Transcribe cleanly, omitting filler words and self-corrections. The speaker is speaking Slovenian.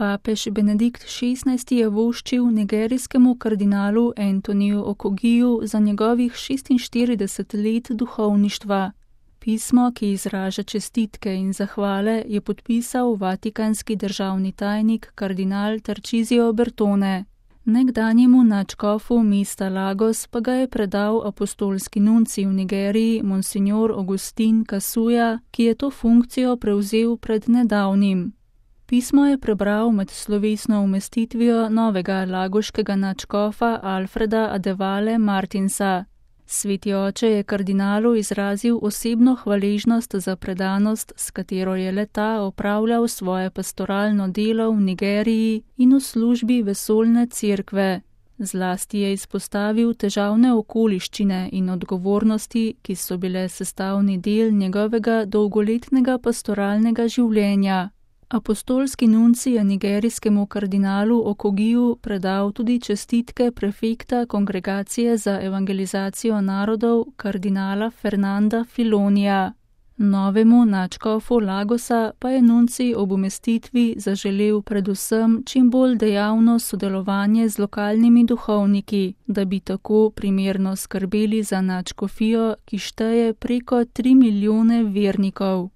Papež Benedikt XVI je voščil nigerijskemu kardinalu Antoniju Okogiju za njegovih 46 let duhovništva. Pismo, ki izraža čestitke in zahvale, je podpisal vatikanski državni tajnik kardinal Tarcisio Bertone. Nekdanjemu nadškofu mesta Lagos pa ga je predal apostolski nuncij v Nigeriji monsignor Augustin Kasuja, ki je to funkcijo prevzel pred nedavnim. Pismo je prebral med slovesno umestitvijo novega lagoškega nadškofa Alfreda Adevale Martinsa. Sveti oče je kardinalu izrazil osebno hvaležnost za predanost, s katero je le-ta opravljal svoje pastoralno delo v Nigeriji in v službi vesoljne cerkve. Zlasti je izpostavil težavne okoliščine in odgovornosti, ki so bile sestavni del njegovega dolgoletnega pastoralnega življenja. Apostolski nuncij je nigerijskemu kardinalu Okogiju predal tudi čestitke prefekta Kongregacije za evangelizacijo narodov kardinala Fernanda Filonija. Novemu nadškofu Lagosa pa je nuncij ob umestitvi zaželel predvsem čim bolj dejavno sodelovanje z lokalnimi duhovniki, da bi tako primerno skrbeli za nadškofijo, ki šteje preko 3 milijone vernikov.